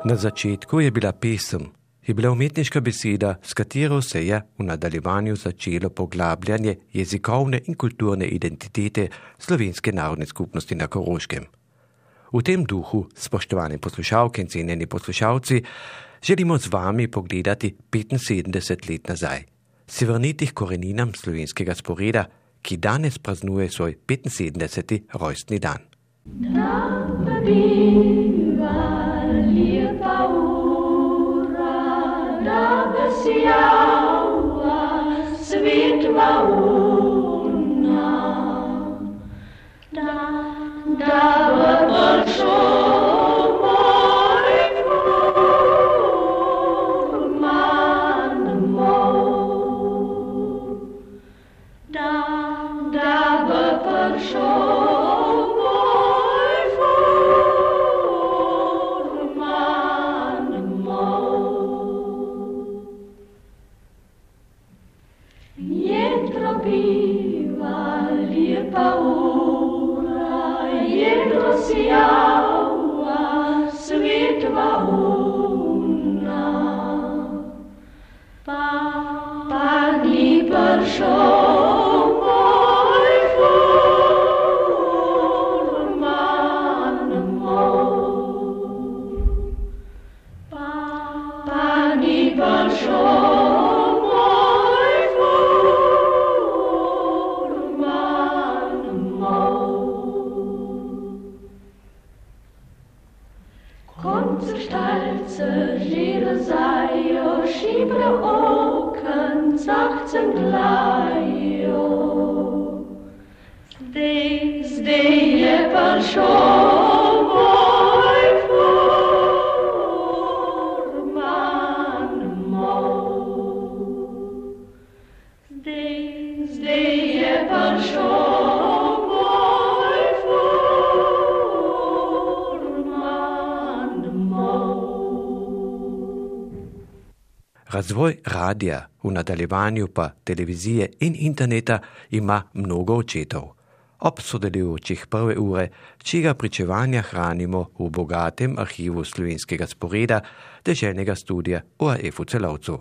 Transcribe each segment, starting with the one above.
Na začetku je bila pesem, je bila umetniška beseda, s katero se je v nadaljevanju začelo poglabljanje jezikovne in kulturne identitete slovenske narodne skupnosti na Koroškem. V tem duhu, spoštovane poslušalke in cenjeni poslušalci, želimo z vami pogledati 75 let nazaj, se vrniti k koreninam slovenskega sporeda, ki danes praznuje svoj 75. rojstni dan. Lepa ura, da besijava svetla una, da v pršo moj furman moj, da v pršo Zdaj je prišel moj furman moj. Zdaj je prišel moj furman moj. Razvoj radia, v nadaljevanju pa televizije in interneta ima mnogo očetov. Ob sodelujočih prve ure, čega pričevanja hranimo v bogatem arhivu slovenskega sporeda deželnega studia ORF v Celovcu.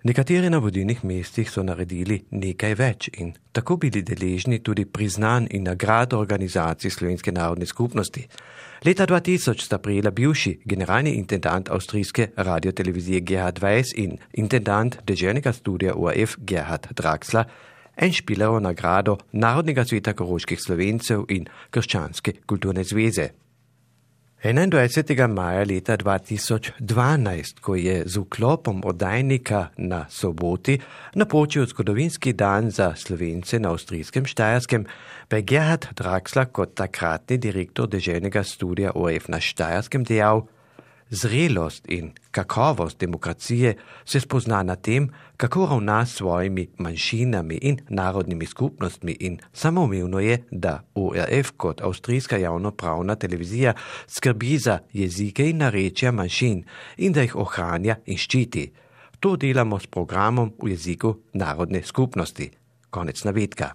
Nekateri na vodilnih mestih so naredili nekaj več in tako bili deležni tudi priznanj in nagrad organizacij Slovenske narodne skupnosti. Leta 2000 sta prejela bivši generalni intendant avstrijske radiotelevizije Gerhard Weiss in intendant deželnega studia ORF Gerhard Draxler en Špilerovo nagrado Narodnega sveta koroških Slovencev in Krščanske kulturne zveze. 21. maja leta 2012, ko je z vklopom oddajnika na soboti napočil zgodovinski dan za Slovence na avstrijskem Štajerskem, pa je Gerhard Draxler kot takratni direktor deželnega studia ORF na Štajerskem dejal: zrelost in kakovost demokracije se spozna na tem, kako ravna s svojimi manjšinami in narodnimi skupnostmi in samoumevno je, da ORF kot avstrijska javnopravna televizija skrbi za jezike in narečja manjšin in da jih ohranja in ščiti. To delamo s programom v jeziku narodne skupnosti. Konec navedka.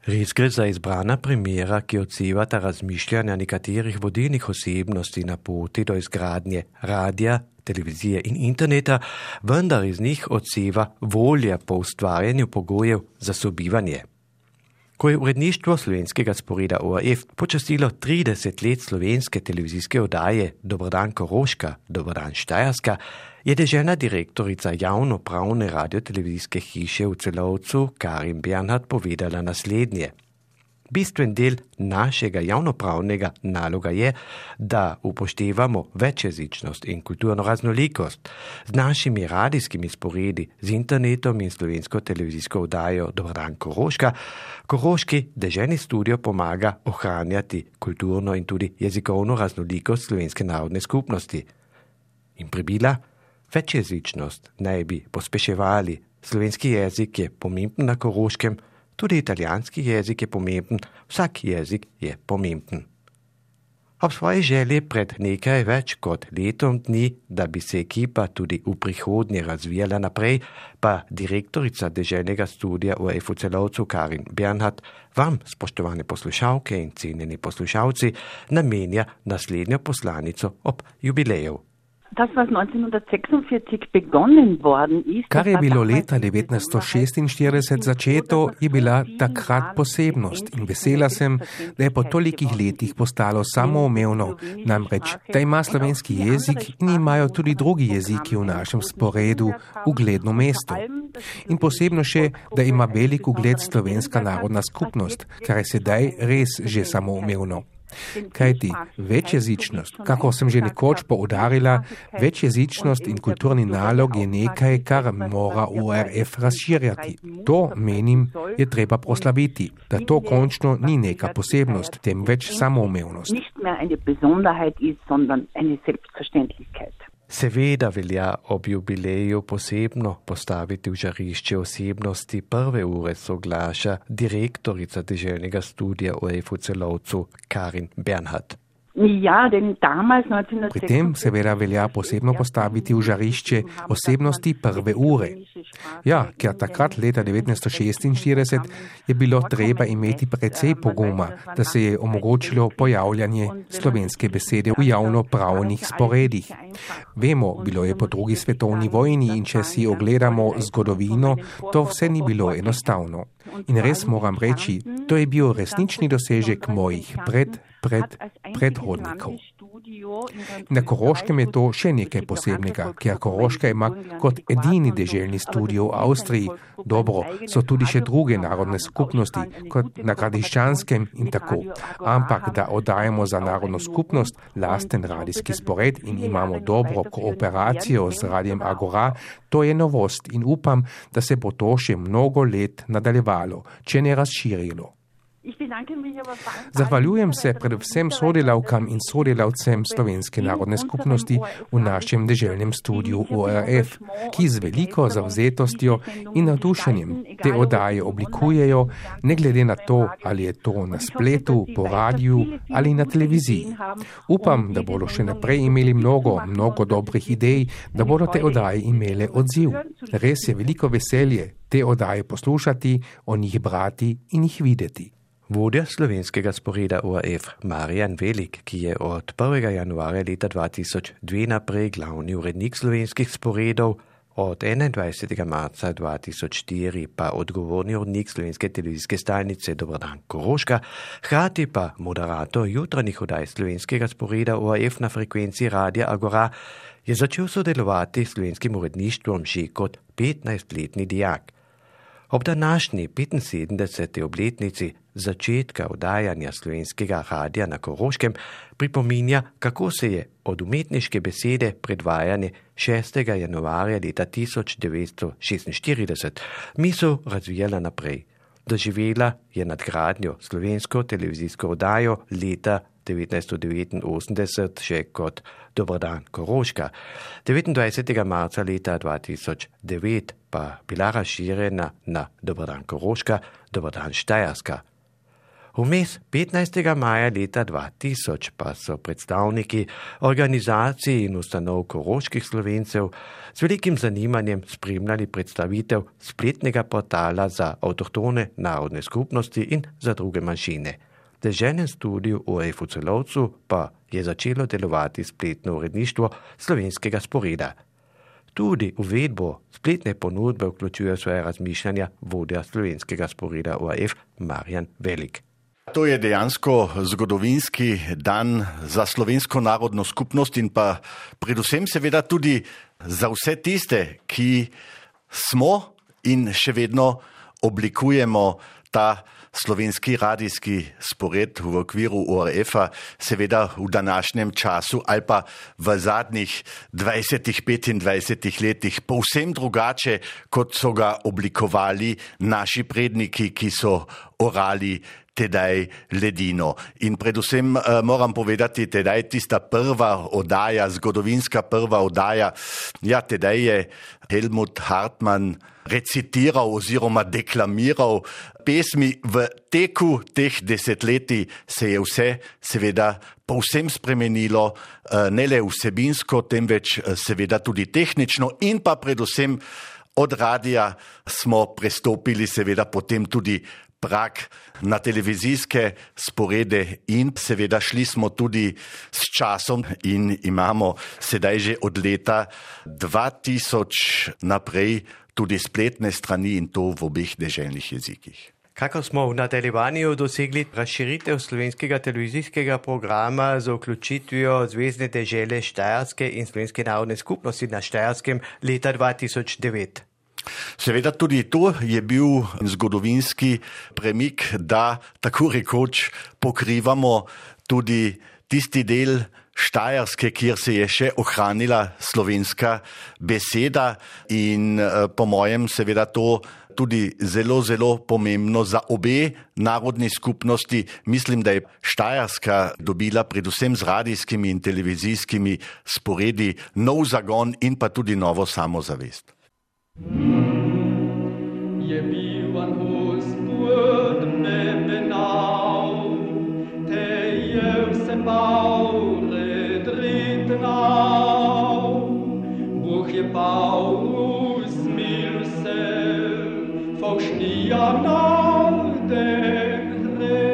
Res gre za izbrana primera, ki odsevata razmišljanja nekaterih vodilnih osebnosti na poti do izgradnje radia, televizije in interneta, vendar iz njih odseva volja po ustvarjanju pogojev za sobivanje. Ko je uredništvo slovenskega sporeda ORF počastilo 30 let slovenske televizijske oddaje Dober dan Koroška, Dober dan Štajerska, je deželna direktorica javnopravne radiotelevizijske hiše v Celovcu Karin Bernhardt povedala naslednje. Bistven del našega javnopravnega naloga je, da upoštevamo večjezičnost in kulturno raznolikost. Z našimi radijskimi sporedi, z internetom in slovensko televizijsko oddajo Dober dan Koroška, koroški deželni studio pomaga ohranjati kulturno in tudi jezikovno raznolikost slovenske narodne skupnosti. In pribila, večjezičnost naj bi pospeševali. Slovenski jezik je pomemben na Koroškem, tudi italijanski jezik je pomemben, vsak jezik je pomemben. Ob svoji želji pred nekaj več kot letom dni, da bi se ekipa tudi v prihodnje razvijala naprej, pa direktorica deželnega studija ORF v Celovcu Karin Bernhardt vam, spoštovane poslušalke in cenjeni poslušalci, namenja naslednjo poslanico ob jubileju. Das, was 1946 begonnen worden ist, kar je bilo leta 1946 začeto, je bila takrat posebnost in vesela sem, da je po tolikih letih postalo samoumevno, namreč, da ima slovenski jezik in imajo tudi drugi jeziki v našem sporedu ugledno mesto. In posebno še, da ima velik ugled slovenska narodna skupnost, kar je sedaj res že samoumevno. Kajti večjezičnost, kako sem že nekoč poudarila, večjezičnost in kulturni nalog je nekaj, kar mora ORF razširjati. To, menim, je treba proslaviti, da to končno ni neka posebnost, temveč samoumevnost. Seveda velja ob jubileju posebno postaviti v žarišče osebnosti prve ure, soglaša direktorica deželnega studija ORF v Celovcu Karin Bernhardt. Pri tem seveda velja posebno postaviti v žarišče osebnosti prve ure. Ja, ker takrat leta 1946 je bilo treba imeti precej poguma, da se je omogočilo pojavljanje slovenske besede v javnopravnih sporedih. Vemo, bilo je po drugi svetovni vojni in če si ogledamo zgodovino, to vse ni bilo enostavno. In res moram reči, to je bil resnični dosežek mojih predhodnikov. Na Koroškem je to še nekaj posebnega, ker Koroška ima kot edini deželni studio v Avstriji. Dobro, so tudi še druge narodne skupnosti, kot na Gradiščanskem in tako. Ampak, da oddajamo za narodno skupnost lasten radijski spored in imamo dobro kooperacijo z Radijem Agora, to je novost in upam, da se bo to še mnogo let nadaljevalo, če ne razširilo. Zahvaljujem se predvsem sodelavkam in sodelavcem Slovenske narodne skupnosti v našem deželnem studiu ORF, ki z veliko zavzetostjo in navdušenjem te oddaje oblikujejo, ne glede na to, ali je to na spletu, po radiju ali na televiziji. Upam, da bodo še naprej imeli mnogo dobrih idej, da bodo te oddaje imele odziv. Res je veliko veselje te oddaje poslušati, o njih brati in jih videti. Vodja slovenskega sporeda ORF Marjan Velik, ki je od 1. januarja leta 2002 naprej glavni urednik slovenskih sporedov, od 21. marca 2004 pa odgovorni urednik slovenske televizijske stalnice Dober dan Koroška, hkrati pa moderator jutranjih oddaj slovenskega sporeda ORF na frekvenci Radia Agora, je začel sodelovati s slovenskim uredništvom že kot 15-letni dijak. Ob današnji 75. obletnici začetka oddajanja slovenskega radija na Koroškem pripominja, kako se je od umetniške besede predvajanje 6. januarja leta 1946 misel razvijala naprej. Doživela je nadgradnjo slovensko televizijsko oddajo leta 1989 še kot Dober dan Koroška. 29. marca leta 2009 pa bila razširjena na Dober dan Koroška, Dober dan Štajerska. Vmes 15. maja leta 2000 pa so predstavniki organizacij in ustanov koroških Slovencev z velikim zanimanjem spremljali predstavitev spletnega portala za avtohtone narodne skupnosti in za druge manjšine. V deželnem studiu ORF v Celovcu pa je začelo delovati spletno uredništvo slovenskega sporeda. Tudi uvedbo spletne ponudbe vključuje svoje razmišljanja vodja slovenskega sporeda ORF Marjan Velik. To je dejansko zgodovinski dan za slovensko narodno skupnost in pa predvsem seveda tudi za vse tiste, ki smo in še vedno oblikujemo ta slovenski radijski spored v okviru ORF-a, seveda v današnjem času ali pa v zadnjih 20-25 letih povsem drugače, kot so ga oblikovali naši predniki, ki so orali tedaj ledino. In predvsem moram povedati, tedaj tista prva oddaja, zgodovinska prva oddaja, ja, tedaj je Helmut Hartmann recitiral oziroma deklamiral pesmi. V teku teh desetletij se je vse seveda povsem spremenilo, ne le vsebinsko, temveč seveda tudi tehnično in pa predvsem od radija smo prestopili seveda potem tudi prag na televizijske sporede in seveda šli smo tudi s časom in imamo sedaj že od leta 2000 naprej tudi spletne strani in to v obeh deželnih jezikih. Kako smo v nadaljevanju dosegli razširitev slovenskega televizijskega programa z vključitvijo Zvezne dežele Štajerske in Slovenske narodne skupnosti na Štajerskem leta 2009? Seveda tudi to je bil zgodovinski premik, da tako rekoč pokrivamo tudi tisti del Štajerske, kjer se je še ohranila slovenska beseda in po mojem seveda to tudi zelo, zelo pomembno za obe narodni skupnosti. Mislim, da je Štajerska dobila predvsem z radijskimi in televizijskimi sporedi nov zagon in pa tudi novo samozavest. Je bil van Gospod mene nau, te je vse bal redrit nau. Bůh je Paulus mil se, faušnija na den hre.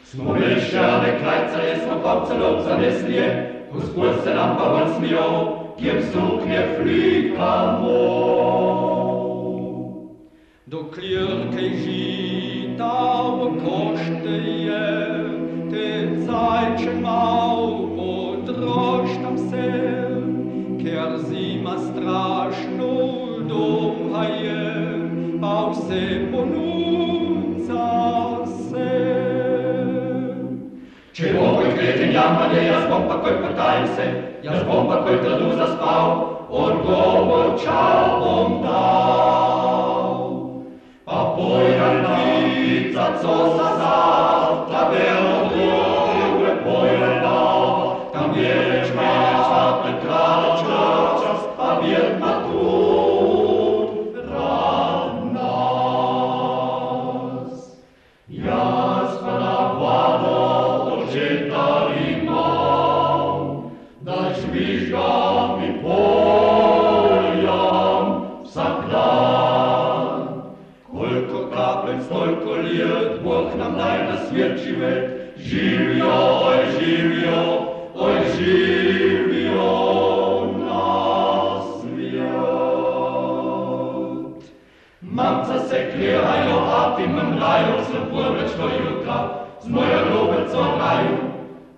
Smo mešane krajce, smo pa celou zaneslije, Gospod se nam pa von smijal, kjem suknje flikamo. Do klirke žita v košte je, te cajče mal podroštam se, ker zima strašno dolga je, pa vse ponudza se. Če bom koj kreten jamanje, jaz bom pa koj potajim se, jaz bom pa koj trdu zaspal, odgovor čao bom dal. Pa pojran ptica, co sa zavtra belo druge pojran dal, tam je reč meča, prekrača čas, pa vjetna trud rad nas. Jaz pa na vlado očeta imam, da žvižgam i poljam vsak dan. Koliko kaplec, toliko lijet, Bog nam daj na svijet živet. Živjo, oj živjo, oj živjo na svijet. Mamca se klirajo, a ti mrmrajo, slabo vrečno jutra, z mojo ljubeco raju.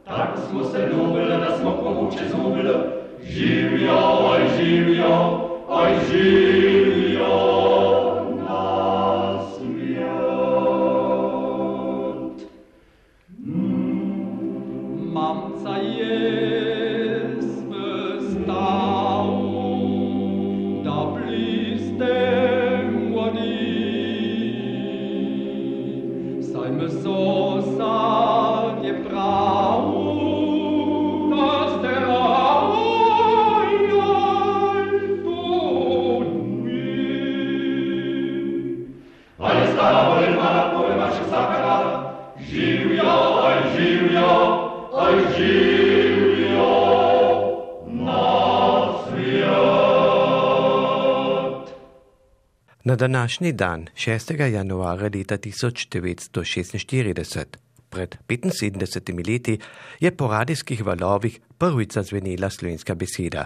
Tako smo se ljubili, da smo povuče zubili. Živjo, oj živjo, oj živjo na svijet. Mamca je svestal, da blistem vodi. Saj me sosad je prav, da ste Na današnji dan, 6. januarja leta 1946, pred 75 leti, je po radijskih valovih prvič zazvenela slovenska beseda.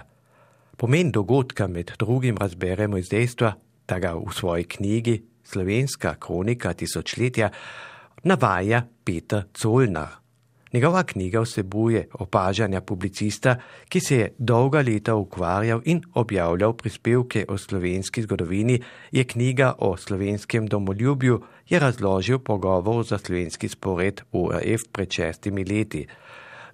Pomen dogodka med drugim razberemo iz dejstva, da ga v svoji knjigi Slovenska kronika tisočletja navaja Peter Zollner. Njegova knjiga vsebuje opažanja publicista, ki se je dolga leta ukvarjal in objavljal prispevke o slovenski zgodovini, je knjiga o slovenskem domoljubju, je razložil pogovor za slovenski spored ORF pred 6 leti.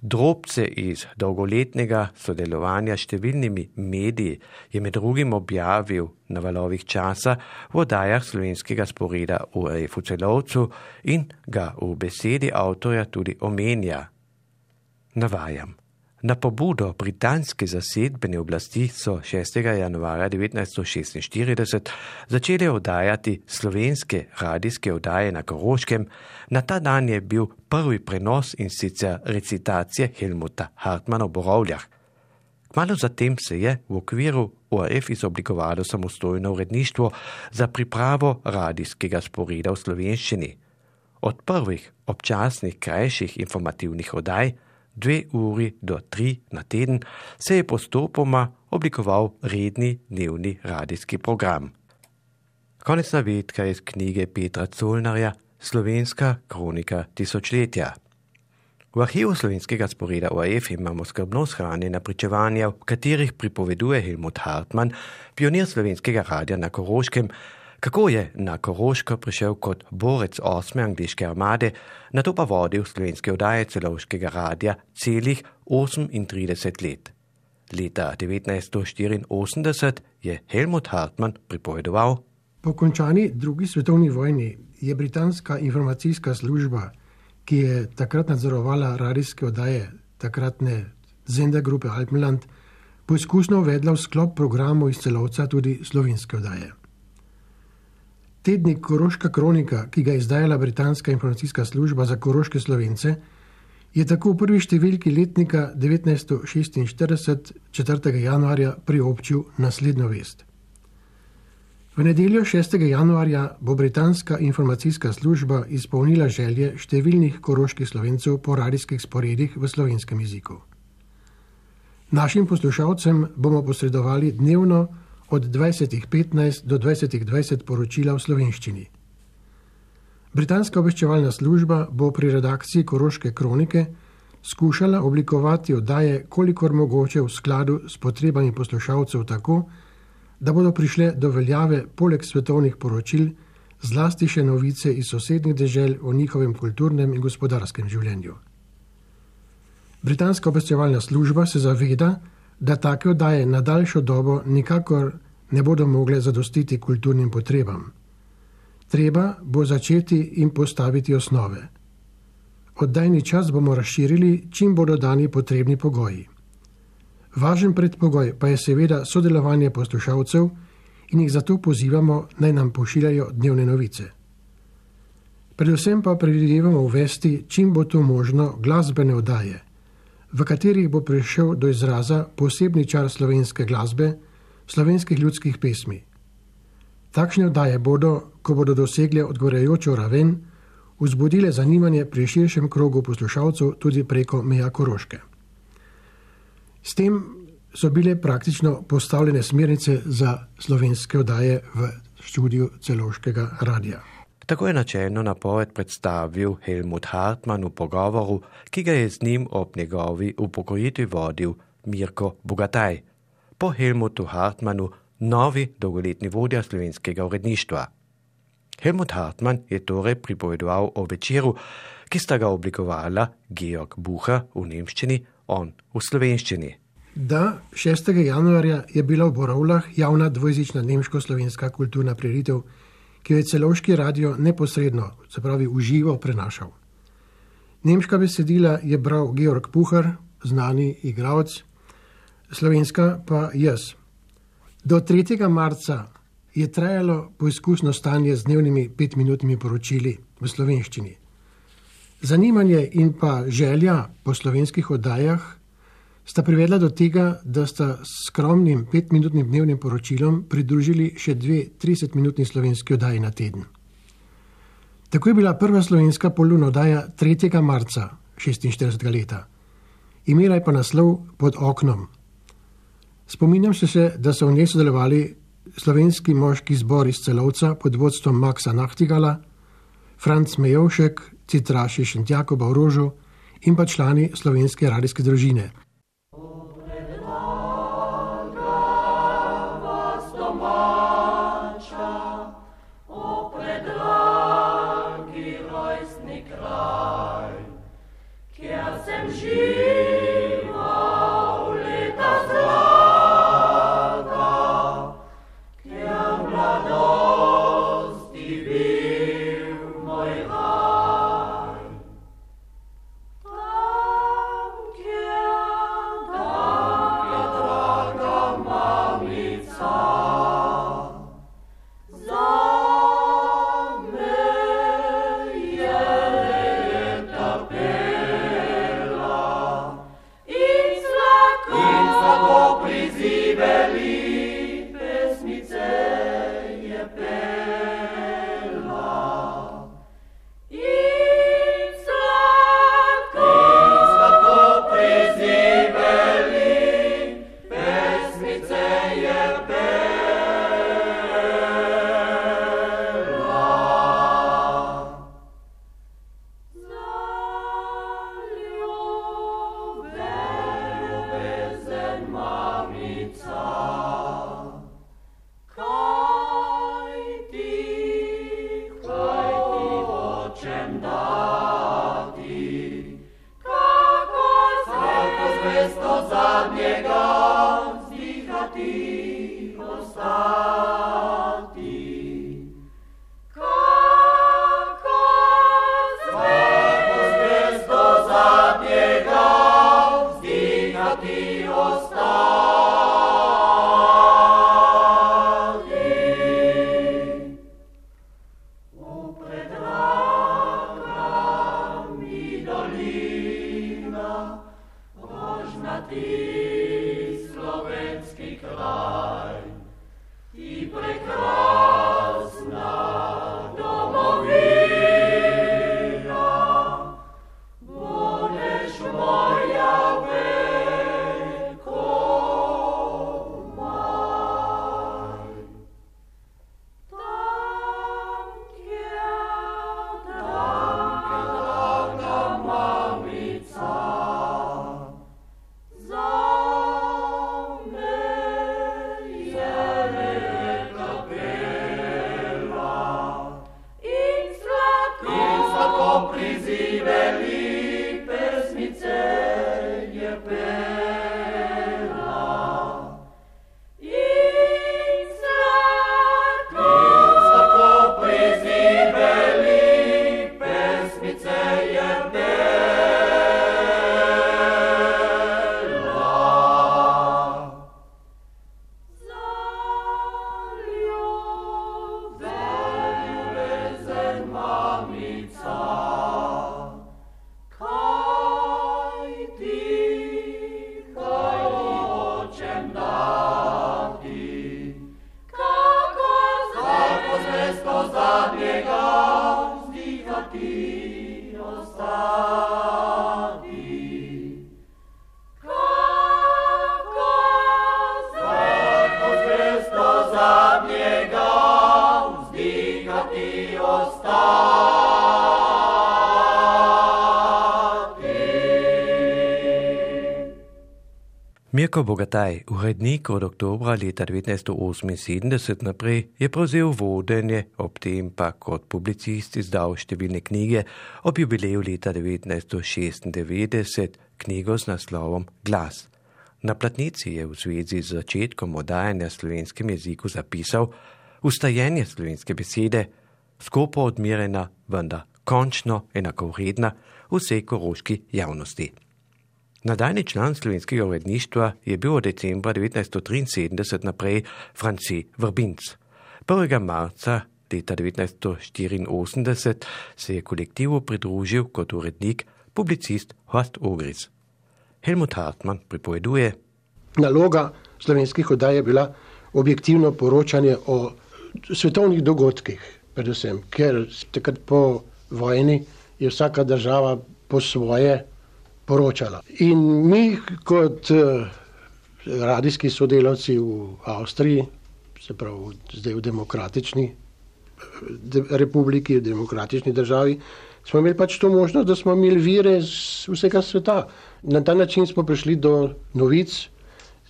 Drobce iz dolgoletnega sodelovanja s številnimi mediji je med drugim objavil na valovih časa v oddajah slovenskega sporeda ORF v Celovcu in ga v besedi avtorja tudi omenja. Navajam. Na pobudo britanske zasedbene oblasti so 6. januarja 1946 začeli oddajati slovenske radijske oddaje na Koroškem. Na ta dan je bil prvi prenos in sicer recitacije Helmuta Hartmana v Borovljah. Kmalu zatem se je v okviru ORF izoblikovalo samostojno uredništvo za pripravo radijskega sporeda v slovenščini. Od prvih občasnih krajših informativnih oddaj 2 uri do 3 na teden se je postopoma oblikoval redni dnevni radijski program. Konec navedka iz knjige Petra Zollnerja Slovenska kronika tisočletja. V arhivu slovenskega sporeda ORF imamo skrbno shranjena pričevanja, v katerih pripoveduje Helmut Hartman, pionir slovenskega radia na Koroškem, kako je na Koroško prišel kot borec 8. angleške armade, nato pa vodil slovenske oddaje Celovškega radia celih 38 let. Leta 1984 je Helmut Hartman pripovedoval: Po končani drugi svetovni vojni je britanska informacijska služba, ki je takrat nadzorovala radijske oddaje takratne Sendergruppe Alpenland, poizkusno uvedla v sklop programov iz Celovca tudi slovenske oddaje. Tednik Koroška kronika, ki ga je izdajala britanska informacijska služba za koroške Slovence, je tako v prvi številki letnika 1946, 4. januarja, priobčil naslednjo vest. V nedeljo 6. januarja bo britanska informacijska služba izpolnila želje številnih koroških Slovencev po radijskih sporedih v slovenskem jeziku. Našim poslušalcem bomo posredovali dnevno od 20:15 do 20:20 poročila v slovenščini. Britanska obveščevalna služba bo pri redakciji Koroške kronike skušala oblikovati oddaje kolikor mogoče v skladu s potrebami poslušalcev tako, da bodo prišle do veljave poleg svetovnih poročil zlasti še novice iz sosednjih dežel o njihovem kulturnem in gospodarskem življenju. Britanska obveščevalna služba se zaveda, da take oddaje na daljšo dobo nikakor ne bodo mogle zadostiti kulturnim potrebam. Treba bo začeti in postaviti osnove. Oddajni čas bomo razširili, čim bodo dani potrebni pogoji. Važen predpogoj pa je seveda sodelovanje poslušalcev in jih zato pozivamo, naj nam pošiljajo dnevne novice. Predvsem pa predvidevamo uvesti, čim bo to možno, glasbene oddaje, v katerih bo prišel do izraza posebni čar slovenske glasbe, slovenskih ljudskih pesmi. Takšne oddaje bodo, ko bodo dosegle odgovarjajočo raven, vzbudile zanimanje pri širšem krogu poslušalcev tudi preko meja Koroške. S tem so bile praktično postavljene smernice za slovenske oddaje v študiju Celovškega radia. Tako je načelno napoved predstavil Helmut Hartman v pogovoru, ki ga je z njim ob njegovi upokojitvi vodil Mirko Bogataj. Po Helmutu Hartmanu novi dolgoletni vodja slovenskega uredništva. Helmut Hartman je torej pripovedoval o večeru, ki sta ga oblikovala Georg Bucher v nemščini, on v slovenščini. Da, 6. januarja je bila v Borovljah javna dvojezična nemško-slovenska kulturna prireditev, ki jo je Celovški radio neposredno, se pravi v živo, prenašal. Nemška besedila je bral Georg Bucher, znani igralec, slovenska pa jaz. Do 3. marca je trajalo poizkusno stanje z dnevnimi 5-minutnimi poročili v slovenščini. Zanimanje in pa želja po slovenskih oddajah sta privedla do tega, da sta s skromnim 5-minutnim dnevnim poročilom pridružili še 2 30-minutni slovenski oddaji na teden. Tako je bila prva slovenska poluna oddaja 3. marca 46. leta. Imela je pa naslov Pod oknom. Spominjam se, da so v njej sodelovali slovenski moški zbor iz Celovca pod vodstvom Maxa Nachtigala, Franc Mejovšek, Citraši Šentjakoba v Rožu in pa člani slovenske radijske družine. Mirko Bogataj, urednik od oktobra leta 1978 naprej, je prevzel vodenje, ob tem pa kot publicist izdal številne knjige, ob jubileju leta 1996 knjigo s naslovom Glas. Na platnici je v zvezi z začetkom oddajanja slovenskem jeziku zapisal ustajenje slovenske besede, skopo odmerjena, vendar končno enakovredna vsej koroški javnosti. Nadaljni član slovenskega uredništva je bil od decembra 1973 naprej Franci Vrbinc. 1. marca leta 1984 se je kolektivu pridružil kot urednik publicist Horst Ogris. Helmut Hartmann pripoveduje: Naloga slovenskih oddaj je bila objektivno poročanje o svetovnih dogodkih, predvsem, ker takrat po vojni je vsaka država po svoje poročala. In mi kot radijski sodelavci v Avstriji, se pravi zdaj v demokratični republiki, v demokratični državi, smo imeli pač to možnost, da smo imeli vire z vsega sveta. Na ta način smo prišli do novic,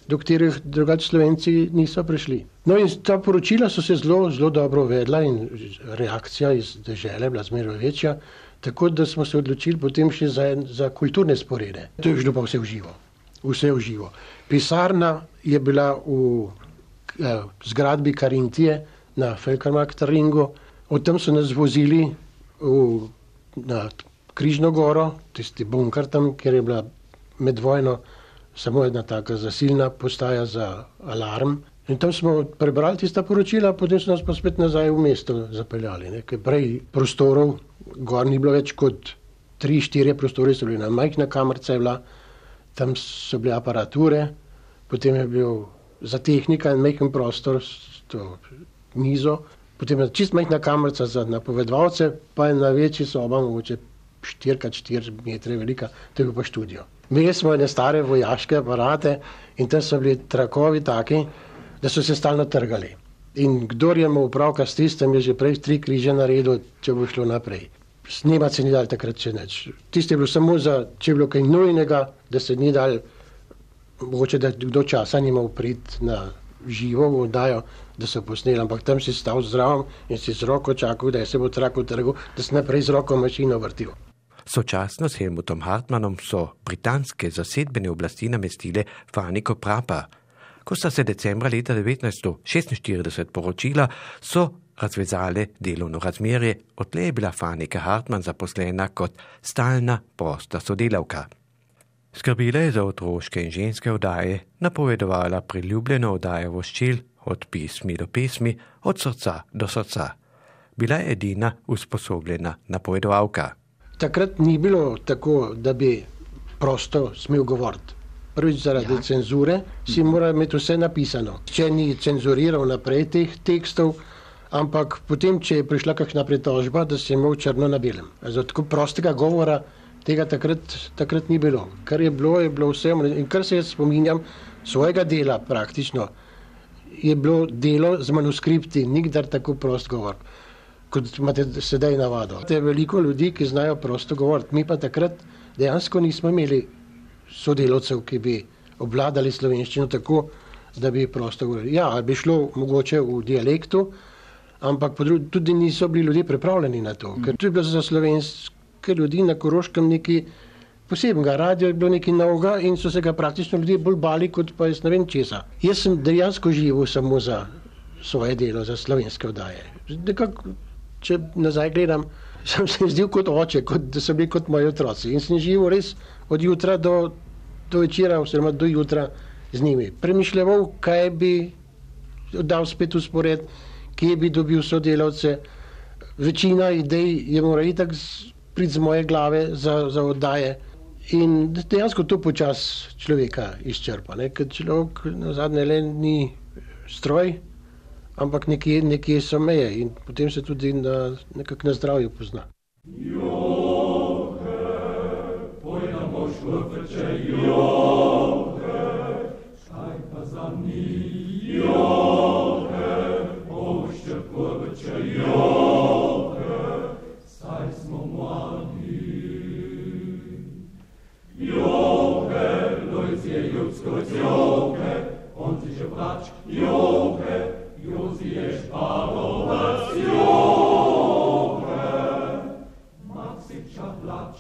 do katerih drugače Slovenci niso prišli. No in ta poročila so se zelo dobro vedla in reakcija iz dežele bila zmeraj večja, tako da smo se odločili potem še za kulturne sporede. To je šlo pa vse v živo. Pisarna je bila v zgradbi Karintije na Felkarmarkt-Ringu. Od tam so nas vozili na Križno goro, tisti bunker tam, kjer je bila med vojno samo jedna taka zasilna postaja za alarm. In tam smo prebrali tista poročila, potem so nas pa spet nazaj v mesto zapeljali. Ker prej prostorov gor ni bilo več kot 3-4 prostore, so bili na majhna kamarca je bila, tam so bile aparature, potem je bil za tehnika en majhen prostor, to mizo, potem je čist majhna kamarca za napovedovalce, pa je na večji soba, mogoče 4x4 metre velika, to je bil pa študio. Imeli smo ene stare vojaške aparate in tam so bili trakovi taki, da so se stalno trgali. In kdor je imel opravka s tistem, je že prej 3 križe naredil, če bo šlo naprej. Snemati se ni dal takrat še nič. Tisto je bilo samo če je bilo kaj nujnega, da se ni dal, mogoče da kdo časa ni imel priti na živo v oddajo, da so posneli, ampak tam si stal zraven in si z roko čakal, da se bo trak utrgal, da si naprej z roko mašino vrtil. Sočasno s Helmutom Hartmannom so britanske zasedbene oblasti namestile Franiko Prapa. Ko sta se decembra leta 1946 poročila, so razvezale delovno razmerje, odtlej je bila Franika Hartmann zaposlena kot stalna prosta sodelavka. Skrbila je za otroške in ženske oddaje, napovedovala priljubljeno oddajo voščil od pismi do pesmi, od srca do srca. Bila je edina usposobljena napovedovalka. Takrat ni bilo tako, da bi prosto smel govoriti. Prvič zaradi cenzure si mora imeti vse napisano. Če ni cenzuriral naprej teh tekstov, ampak potem, če je prišla kakšna pritožba, da si imel črno na belem. Zato tako prostega govora tega takrat ni bilo. Kar je bilo vse. In kar se jaz spominjam svojega dela praktično, je bilo delo z manuskripti, nikdar tako prost govor, kot imate sedaj navado. Je veliko ljudi, ki znajo prosto govoriti. Mi pa takrat dejansko nismo imeli sodelavcev, ki bi obvladali slovenščino tako, da bi prosto govorili. Ja, bi šlo mogoče v dialektu, ampak tudi niso bili ljudje pripravljeni na to. Ker to je bilo za slovenske ljudi na Koroškem nekaj posebnega. Radio je bilo nekaj novega in so se ga praktično ljudje bolj bali, kot pa jaz ne vem česa. Jaz sem dejansko živel samo za svoje delo, za slovenske oddaje. Nekako, če nazaj gledam, sem se zdel kot oče, da so bili kot moji otroci. In sem živel res od jutra do večera, oziroma do jutra z njimi. Premišljeval, kaj bi dal spet uspored, kje bi dobil sodelavce. Večina idej je mora itak priti z moje glave za oddaje. In dejansko to počas človeka izčrpa, ker človek nazadnje le ni stroj, ampak nekje so meje in potem se tudi nekako na zdravju pozna. Johe, pojdemo švrče, johe, šaj pa za njih, johe, pošče prvrče, johe, saj smo mladi. Johe, lojc je ljudsko, johe, on si že vrač, johe, Jozi je špalovac, johe, Maksipča plač,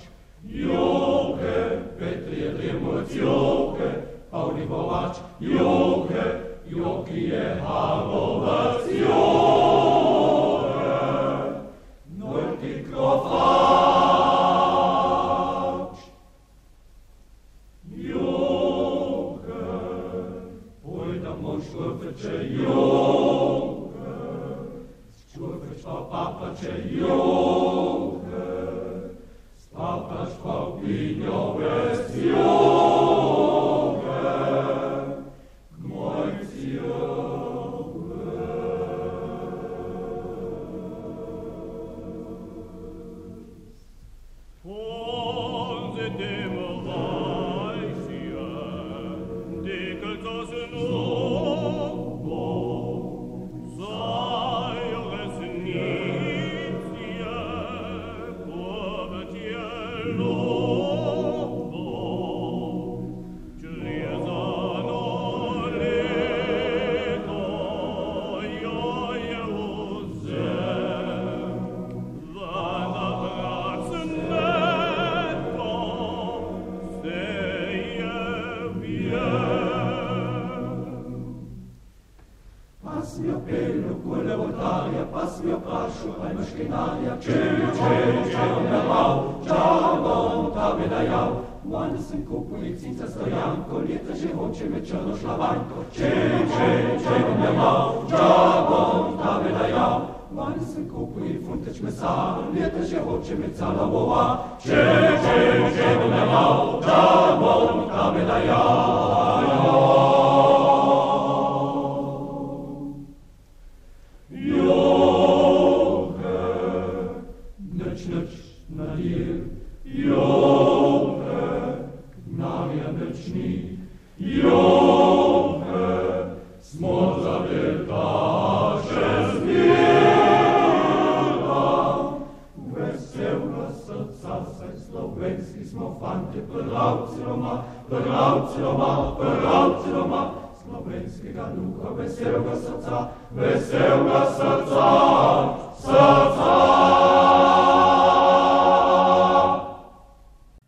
johe, Petr je dremoc, johe, Pavli Bovač, johe, Joki je halovac, johe, Nojti krofač, johe, pojdamo švrče, johe, Papače johe, spapač pa pinjove, johe.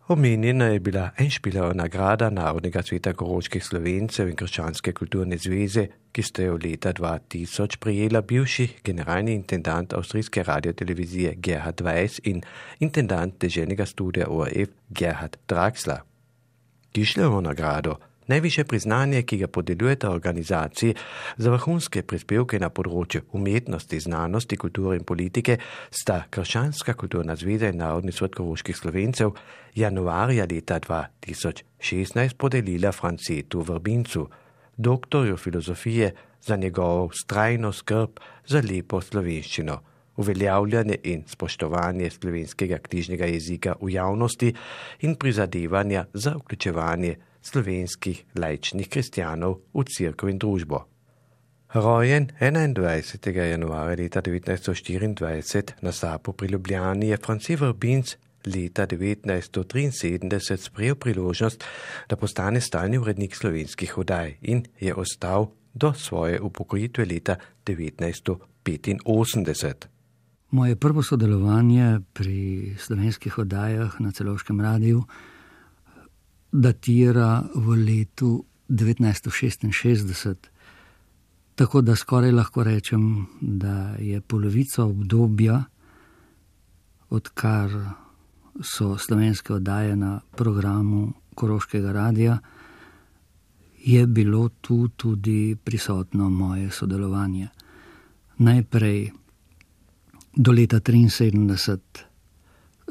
Omenjena je bila Enšpilova nagrada Narodnega sveta koroških Slovencev in Krščanske kulturne zveze, ki ste jo leta 2000 prijela bivši generalni intendant avstrijske radiotelevizije Gerhard Weiss in intendant deželnega studia ORF Gerhard Draxler. Tischlerovo nagrado, najvišje priznanje, ki ga podeljujeta organizaciji za vrhunske prispevke na področju umetnosti, znanosti, kulture in politike, sta Krščanska kulturna zveza in Narodni svet koroških Slovencev januarja leta 2016 podelila Francetu Vrbincu, doktorju filozofije, za njegovo vztrajno skrb za lepo slovenščino, uveljavljanje in spoštovanje slovenskega knjižnega jezika v javnosti in prizadevanja za vključevanje slovenskih laičnih kristjanov v cerkev in družbo. Rojen 21. januarja leta 1924 na Sapu pri Ljubljani je France Vrbinc leta 1973 sprejel priložnost, da postane stalni urednik slovenskih oddaj in je ostal do svoje upokojitve leta 1985. Moje prvo sodelovanje pri slovenskih oddajah na Celovškem radiju datira v letu 1966, tako da skoraj lahko rečem, da je polovica obdobja, odkar so slovenske oddaje na programu Koroškega radija, je bilo tu tudi prisotno moje sodelovanje. Najprej do leta 1973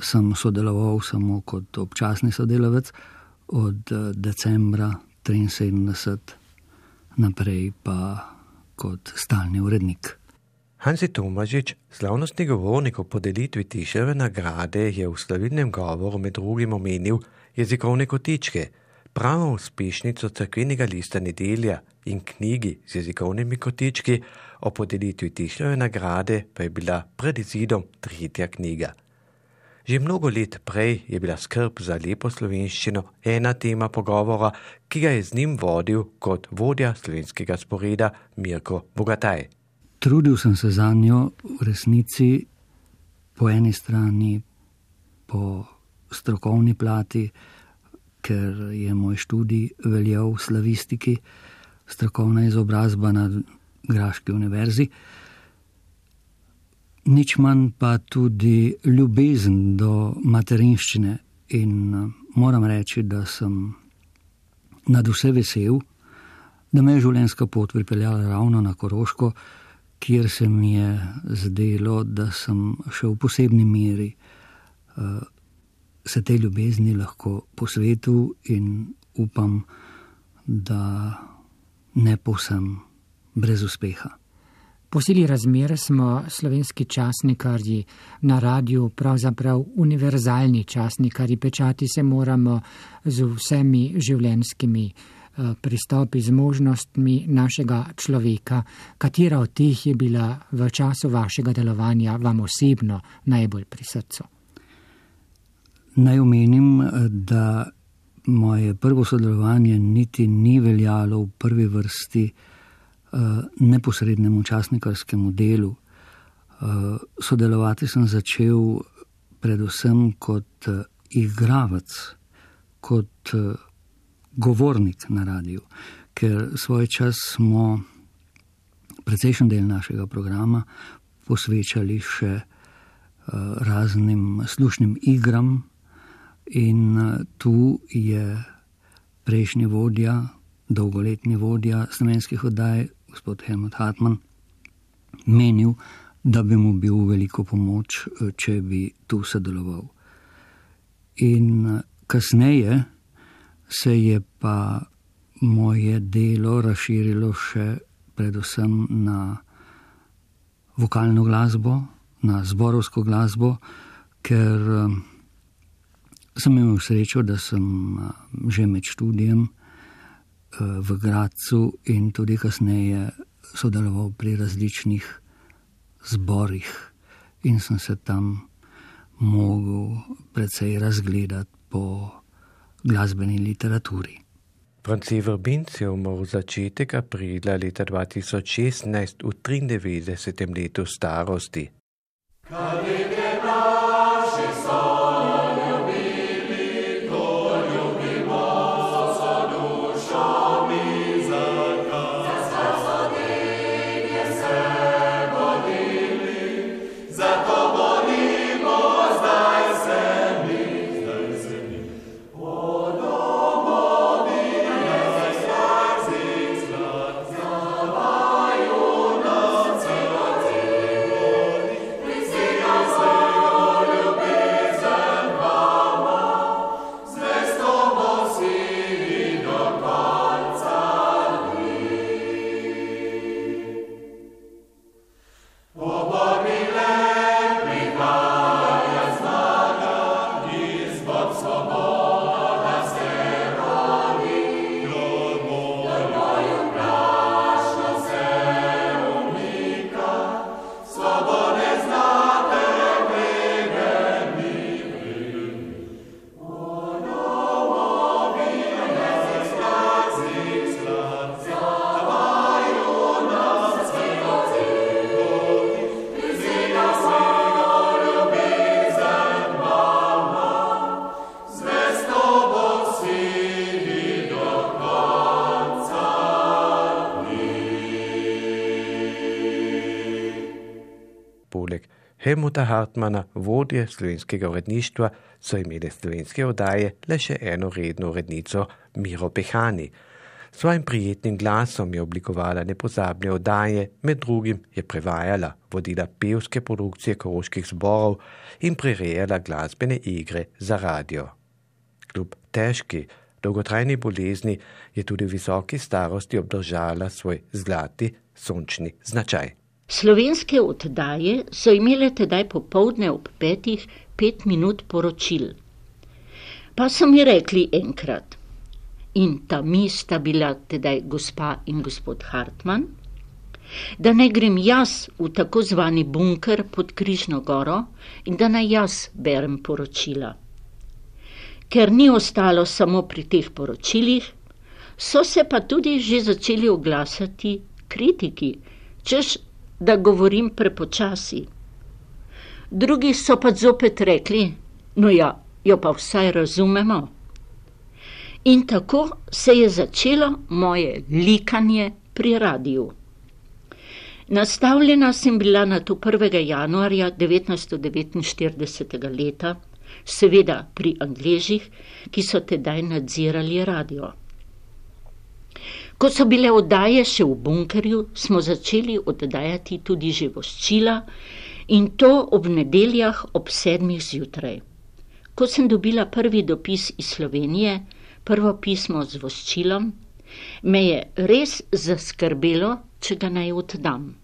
sem sodeloval samo kot občasni sodelavec, od decembra 1973 naprej pa kot stalni urednik. Hansi Tomažič, slavnostni govornik o podelitvi Tischlerove nagrade, je v slavilnem govoru med drugim omenil jezikovne kotičke, pravo uspešnico cerkvenega lista Nedelja in knjigi z jezikovnimi kotički. O podelitvi Tischlerove nagrade pa je bila pred izidom 3. knjiga. Že mnogo let prej je bila skrb za lepo slovenščino ena tema pogovora, ki ga je z njim vodil kot vodja slovenskega sporeda Mirko Bogataj. Trudil sem se za njo v resnici po eni strani po strokovni plati, ker je moj študij veljal v slavistiki, strokovna izobrazba na Graški univerzi, nič manj pa tudi ljubezen do materinščine in moram reči, da sem nad vse vesel, da me je življenjska pot pripeljala ravno na Koroško, kjer se mi je zdelo, da sem še v posebni meri se tej ljubezni lahko posvetil in upam, da ne povsem brez uspeha. Po sili razmer smo slovenski časnikarji na radiju pravzaprav univerzalni časnikarji, pečati se moramo z vsemi življenjskimi pristopi z možnostmi našega človeka. Katera od teh je bila v času vašega delovanja vam osebno najbolj pri srcu? Naj omenim, da moje prvo sodelovanje niti ni veljalo v prvi vrsti neposrednemu časnikarskemu delu. Sodelovati sem začel predvsem kot igralec, kot govornik na radiju, ker svoj čas smo precejšen del našega programa posvečali še raznim slušnim igram in tu je prejšnji vodja, dolgoletni vodja slovenskih oddaj, gospod Helmut Hartmann, menil, da bi mu bil veliko pomoč, če bi tu sodeloval. In kasneje se je pa moje delo razširilo še predvsem na vokalno glasbo, na zborovsko glasbo, ker sem imel srečo, da sem že med študijem v Gradcu in tudi kasneje sodeloval pri različnih zborih in sem se tam mogel precej razgledati po glasbeni literaturi. Franci Vrbinc je umrl začetek aprila leta 2016 v 93. letu starosti. Poleg Helmuta Hartmana, vodje slovenskega uredništva, so imeli slovenske oddaje le še eno redno urednico, Miro Pehani. S svojim prijetnim glasom je oblikovala nepozabne oddaje, med drugim je prevajala, vodila pevske produkcije koroških zborov in prirejala glasbene igre za radio. Kljub težki, dolgotrajni bolezni je tudi v visoki starosti obdržala svoj zlati sončni značaj. Slovenske oddaje so imele tedaj popoldne ob 5 minut poročil. Pa so mi rekli enkrat, in ta mi sta bila tedaj gospa in gospod Hartmann, da ne grem jaz v tako zvani bunker pod Križno goro in da naj jaz berem poročila. Ker ni ostalo samo pri teh poročilih, so se pa tudi že začeli oglasati kritiki, češ da govorim prepočasi. Drugi so pa zopet rekli, no ja, jo pa vsaj razumemo. In tako se je začelo moje likanje pri radiju. Nastavljena sem bila na to 1. januarja 1949. leta, seveda pri Angležih, ki so tedaj nadzirali radio. Ko so bile oddaje še v bunkerju, smo začeli oddajati tudi že voščila in to ob nedeljah ob 7 zjutraj. Ko sem dobila prvi dopis iz Slovenije, prvo pismo z voščilom, me je res zaskrbelo, če ga naj oddam.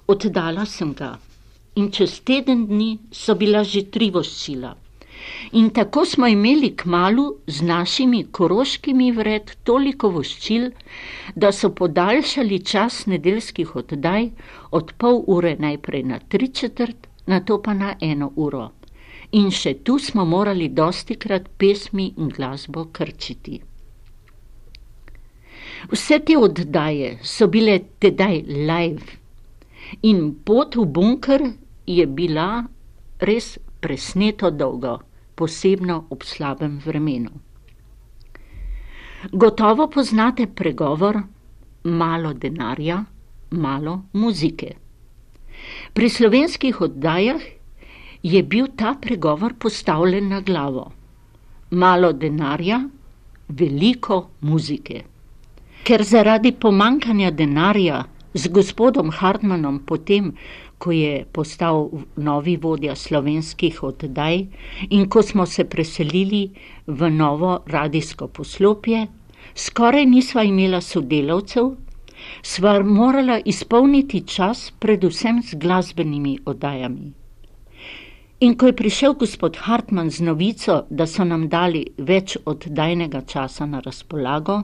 Oddala sem ga in čez teden dni so bila že 3 voščila. In tako smo imeli kmalu z našimi koroškimi vred toliko voščil, da so podaljšali čas nedeljskih oddaj od pol ure najprej na 3/4, nato pa na 1 uro. In še tu smo morali dostikrat pesmi in glasbo krčiti. Vse te oddaje so bile tedaj live in pot v bunker je bila res presneto dolgo, posebno ob slabem vremenu. Gotovo poznate pregovor malo denarja, malo muzike. Pri slovenskih oddajah je bil ta pregovor postavljen na glavo. Malo denarja, veliko muzike. Ker zaradi pomankanja denarja z gospodom Hartmanom potem, ko je postal novi vodja slovenskih oddaj in ko smo se preselili v novo radijsko poslopje, skoraj nisva imela sodelavcev, sva morala izpolniti čas predvsem z glasbenimi oddajami. In ko je prišel gospod Hartman z novico, da so nam dali več oddajnega časa na razpolago,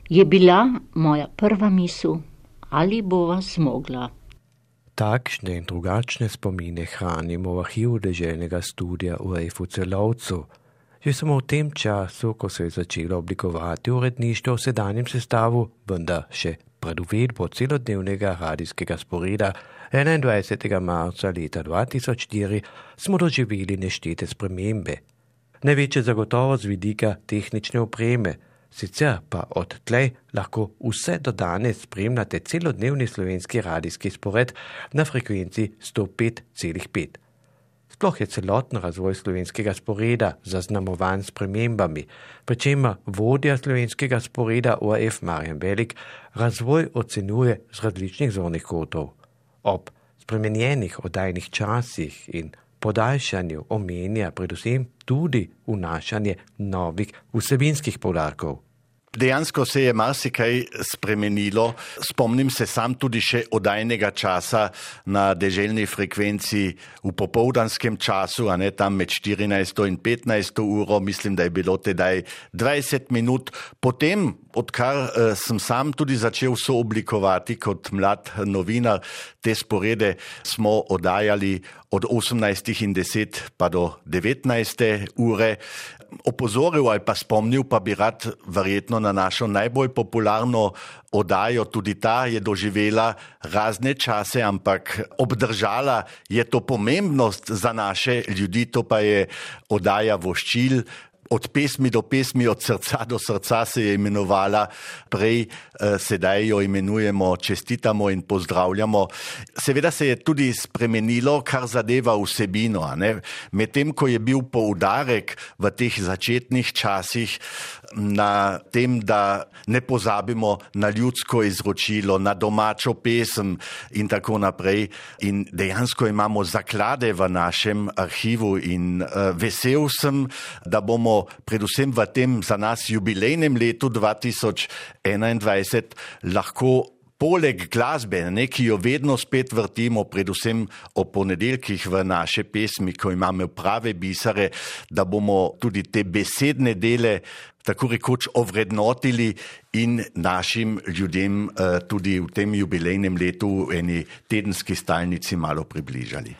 je bila moja prva misel, ali bova zmogla. Takšne in drugačne spomine hranimo v arhivu deželnega studia ORF v Celovcu. Že samo v tem času, ko se je začelo oblikovati uredništvo v sedanjem sestavu, vendar še pred uvedbo celodnevnega radijskega sporeda 21. marca leta 2004 smo doživeli neštete spremembe. Največje zagotovo z vidika tehnične opreme, sicer pa od tlej lahko vse do danes spremljate celodnevni slovenski radijski spored na frekvenci 105,5. Sploh je celoten razvoj slovenskega sporeda zaznamovan s spremembami, pri čemer vodja slovenskega sporeda ORF Marjan Velik razvoj ocenjuje z različnih zornih kotov. Ob spremenjenih oddajnih časih in podaljšanju omenja predvsem tudi vnašanje novih vsebinskih poudarkov. Dejansko se je marsikaj spremenilo. Spomnim se sam tudi še oddajnega časa na deželni frekvenci v popoldanskem času, a ne tam med 14. in 15. uro, mislim, da je bilo tedaj 20 minut. Potem, odkar sem sam tudi začel sooblikovati kot mlad novinar, te sporede smo oddajali od 18:10 pa do 19. ure. Opozoril ali pa spomnil pa bi rad verjetno na našo najbolj popularno oddajo, tudi ta je doživela razne čase, ampak obdržala je to pomembnost za naše ljudi, to pa je oddaja voščil. Od pesmi do pesmi, od srca do srca se je imenovala prej, sedaj jo imenujemo Čestitamo in pozdravljamo. Seveda se je tudi spremenilo, kar zadeva vsebino. Medtem, ko je bil poudarek v teh začetnih časih na tem, da ne pozabimo na ljudsko izročilo, na domačo pesem in tako naprej. In dejansko imamo zaklade v našem arhivu in vesel sem, da bomo predvsem v tem za nas jubilejnem letu 2021 lahko poleg glasbe, ki jo vedno spet vrtimo, predvsem o ponedeljkih v naše pesmi, ko imamo prave bisere, da bomo tudi te besedne dele tako rekoč ovrednotili in našim ljudem tudi v tem jubilejnem letu v eni tedenski stalnici malo približali.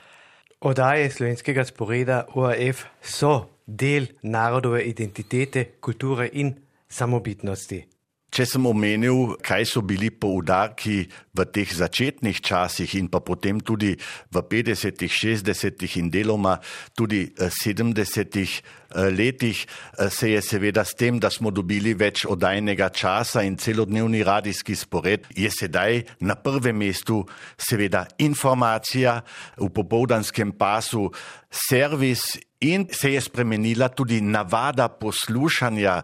Oddaje slovenskega sporeda ORF so del narodove identitete, kulture in samobitnosti. Če sem omenil, kaj so bili poudarki v teh začetnih časih in pa potem tudi v 50., 60. in deloma tudi 70. letih, se je seveda s tem, da smo dobili več oddajnega časa in celodnevni radijski spored, je sedaj na prvem mestu seveda informacija v popoldanskem pasu, servis. In se je spremenila tudi navada poslušanja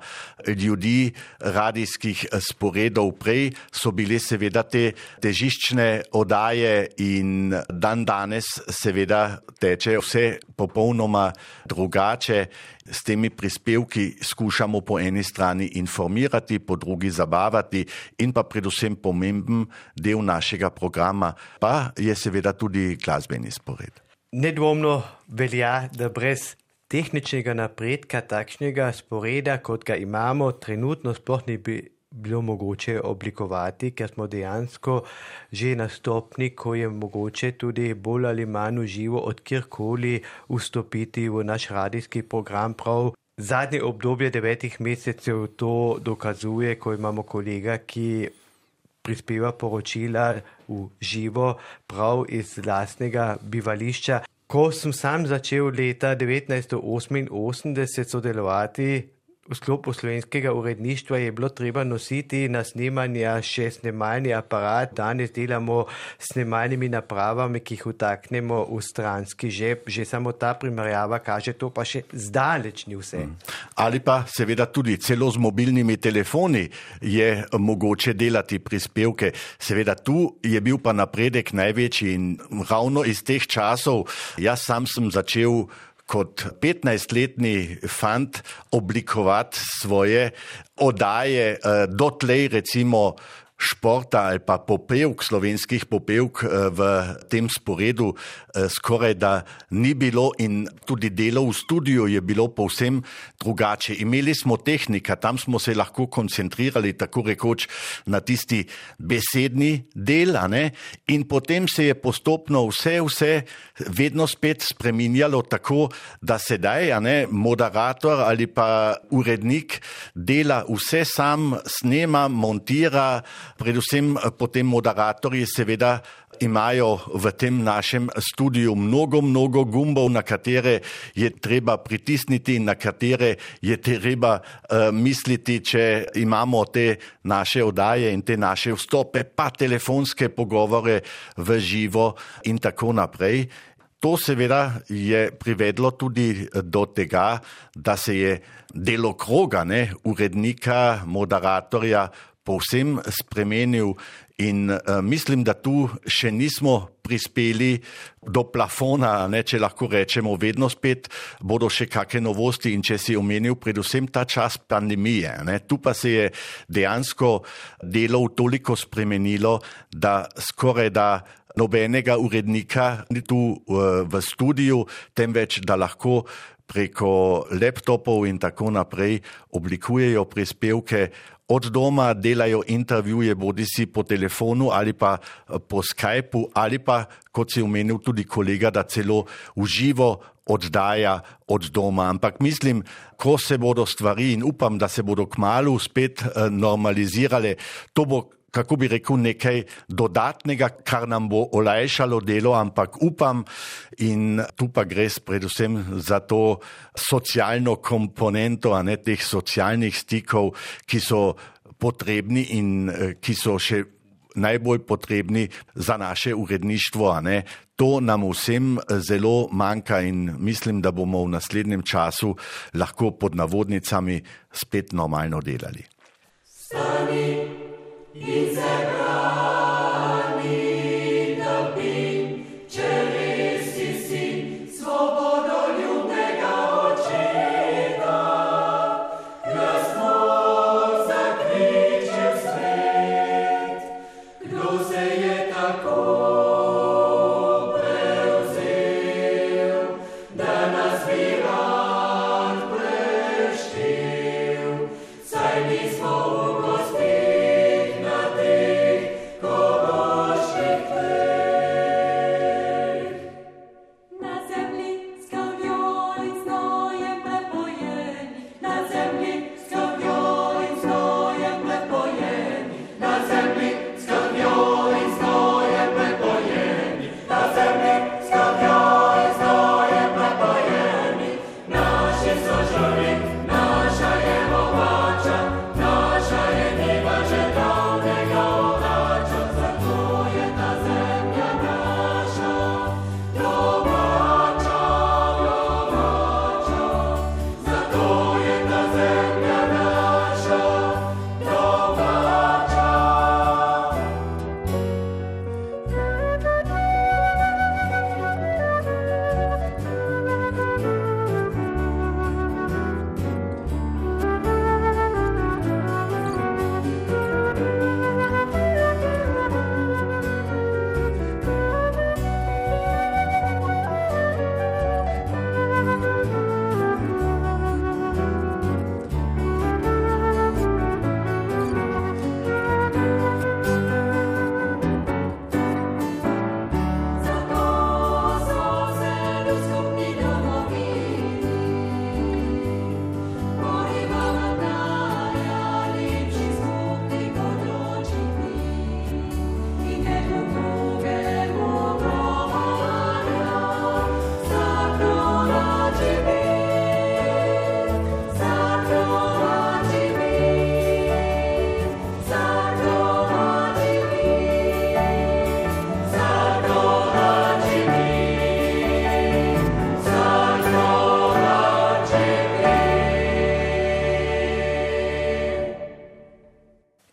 ljudi radijskih sporedov. Prej so bile seveda te težiščne oddaje in dan danes seveda teče vse popolnoma drugače. S temi prispevki skušamo po eni strani informirati, po drugi zabavati in pa predvsem pomemben del našega programa pa je seveda tudi glasbeni spored. Nedvomno velja, da brez tehničnega napredka, takšnega sporeda, kot ga imamo, trenutno sploh ne bi bilo mogoče oblikovati, ker smo dejansko že na stopni, ko je mogoče tudi bolj ali manj v živo od kjerkoli vstopiti v naš radijski program. Prav zadnje obdobje 9 mesecev to dokazuje, ko imamo kolega, ki prispeva poročila v živo prav iz lastnega bivališča. Ko sem sam začel leta 1988 sodelovati v sklopu slovenskega uredništva, je bilo treba nositi na snemanja še snemalni aparat. Danes delamo s snemalnimi napravami, ki jih vtaknemo v stranski žep. Že samo ta primerjava kaže, to pa še zdaleč ni vse. Ali pa seveda tudi celo z mobilnimi telefoni je mogoče delati prispevke. Seveda tu je bil pa napredek največji in ravno iz teh časov jaz sam sem začel kot 15-letni fant oblikovati svoje oddaje, dotlej recimo športa ali pa popevk, slovenskih popevk v tem sporedu skoraj da ni bilo in tudi delo v studiu je bilo povsem drugače. Imeli smo tehnika, tam smo se lahko koncentrirali tako rekoč na tisti besedni del, in potem se je postopno vse vedno spet spreminjalo tako, da sedaj moderator ali pa urednik dela vse sam, snema, montira. Predvsem potem moderatorji seveda imajo v tem našem studiu mnogo gumbov, na katere je treba pritisniti in na katere je treba misliti, če imamo te naše oddaje in te naše vstope, pa telefonske pogovore v živo in tako naprej. To seveda je privedlo tudi do tega, da se je delokroga urednika, moderatorja povsem spremenil in mislim, da tu še nismo prispeli do plafona, če lahko rečemo, vedno spet bodo še kakšne novosti in če si omenil predvsem ta čas pandemije. Tu pa se je dejansko delo toliko spremenilo, da skoraj da nobenega urednika ni tu v studiu, temveč da lahko preko laptopov in tako naprej oblikujejo prispevke od doma, delajo intervjuje bodisi po telefonu ali pa po Skypu ali pa, kot si omenil tudi kolega, da celo v živo oddaja od doma. Ampak mislim, ko se bodo stvari in upam, da se bodo kmalu spet normalizirale, to bo, kako bi rekel, nekaj dodatnega, kar nam bo olajšalo delo, ampak upam in tu pa gre predvsem za to socialno komponento, teh socialnih stikov, ki so potrebni in ki so še najbolj potrebni za naše uredništvo. To nam vsem zelo manjka in mislim, da bomo v naslednjem času lahko pod navodnicami spet normalno delali. Stani in se brani, da bi, če res si sin svobodoljubnega očeta, glasno zakriči v svet, kdo se je tako prevzel, da nas bi rad preštel, saj nismo v gostih na teh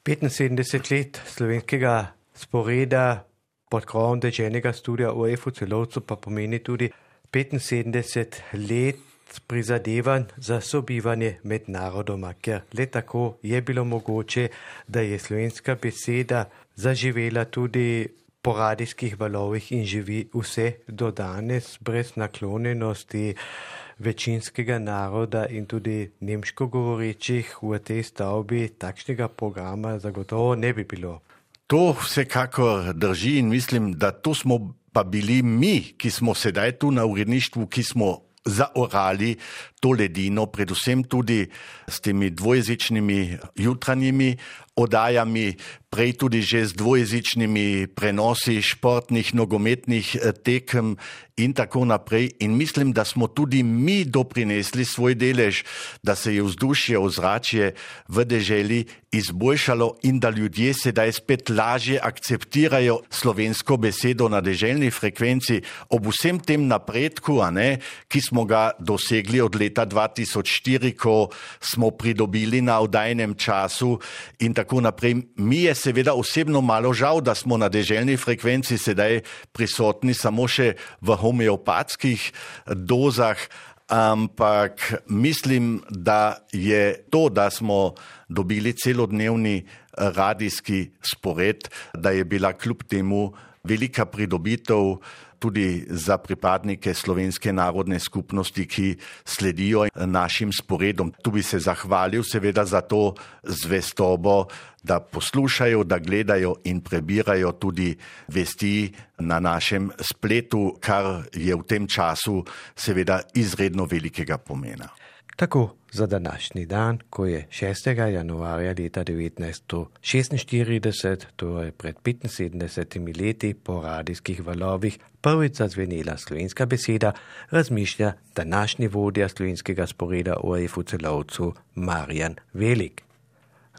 75 let slovenskega sporeda pod krovom deželnega studia OF v Celovcu pa pomeni tudi 75 let prizadevanj za sobivanje med narodoma, ker le tako je bilo mogoče, da je slovenska beseda zaživela tudi po radijskih valovih in živi vse do danes brez naklonjenosti večinskega naroda in tudi nemško govorečih v tej stavbi takšnega programa zagotovo ne bi bilo. To vsekakor drži in mislim, da to smo pa bili mi, ki smo sedaj tu na uredništvu, ki smo zaorali to ledino, predvsem tudi s temi dvojezičnimi jutranjimi oddajami, prej tudi že z dvojezičnimi prenosi športnih, nogometnih tekem in tako naprej. In mislim, da smo tudi mi doprinesli svoj delež, da se je vzdušje, ozračje v deželi izboljšalo in da ljudje sedaj spet lažje akceptirajo slovensko besedo na deželni frekvenci ob vsem tem napredku, ki smo ga dosegli od leta 2004, ko smo pridobili na oddajnem času in tako naprej. Mi je seveda osebno malo žal, da smo na deželni frekvenci sedaj prisotni samo še v homeopatskih dozah, ampak mislim, da je to, da smo dobili celodnevni radijski spored, da je bila kljub temu velika pridobitev tudi za pripadnike slovenske narodne skupnosti, ki sledijo našim sporedom. Tu bi se zahvalil seveda za to zvestobo, da poslušajo, da gledajo in prebirajo tudi vesti na našem spletu, kar je v tem času seveda izredno velikega pomena. Tako za današnji dan, ko je 6. januarja leta 1946, torej pred 75 leti po radijskih valovih, prvič zazvenela slovenska beseda, razmišlja današnji vodja slovenskega sporeda OF v Celovcu Marjan Velik.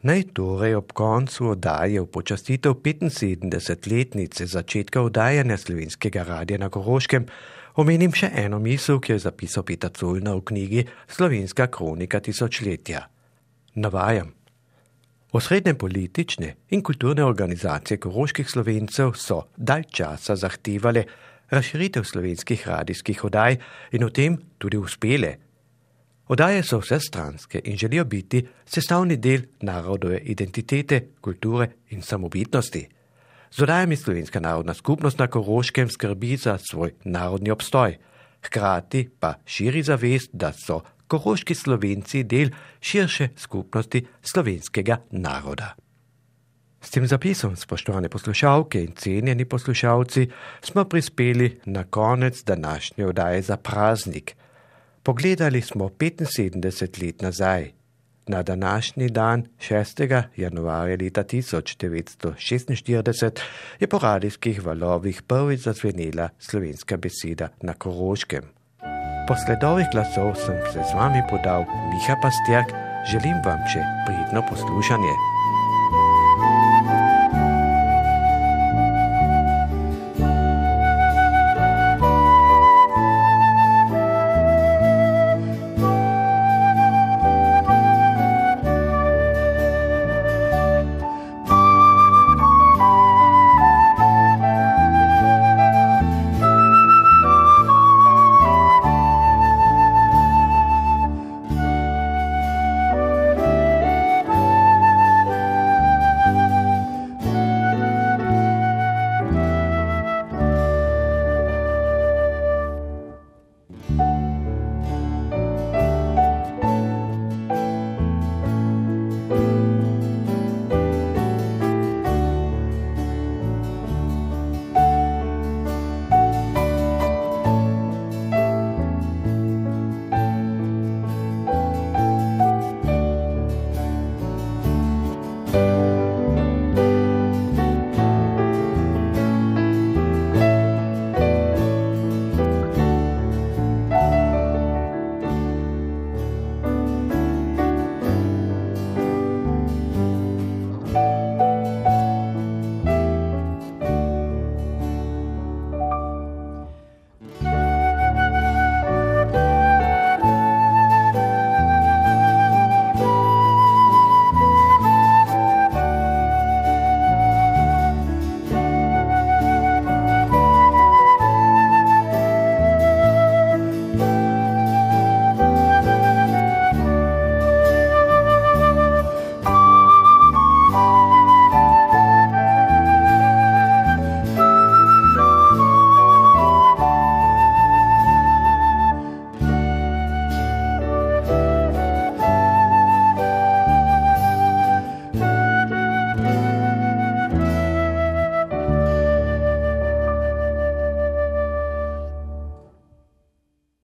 Naj torej ob koncu oddaje v počastitev 75-letnice začetka oddajanja slovenskega radia na Koroškem omenim še eno misel, ki je zapisal Peter Zollner v knjigi Slovenska kronika tisočletja. Navajam. Osrednje politične in kulturne organizacije koroških Slovencev so dalj časa zahtevale razširitev slovenskih radijskih oddaj in v tem tudi uspele. Oddaje so vsestranske in želijo biti sestavni del narodove identitete, kulture in samobitnosti. Z oddajami Slovenska narodna skupnost na Koroškem skrbi za svoj narodni obstoj, hkrati pa širi zavest, da so koroški Slovenci del širše skupnosti slovenskega naroda. S tem zapisom, spoštovane poslušalke in cenjeni poslušalci, smo prispeli na konec današnje oddaje za praznik. Pogledali smo 75 let nazaj. Na današnji dan, 6. januarja leta 1946, je po radijskih valovih prvič zazvenela slovenska beseda na Koroškem. Po sledovih glasov sem se z vami podal Miha Pastjak, želim vam še prijetno poslušanje.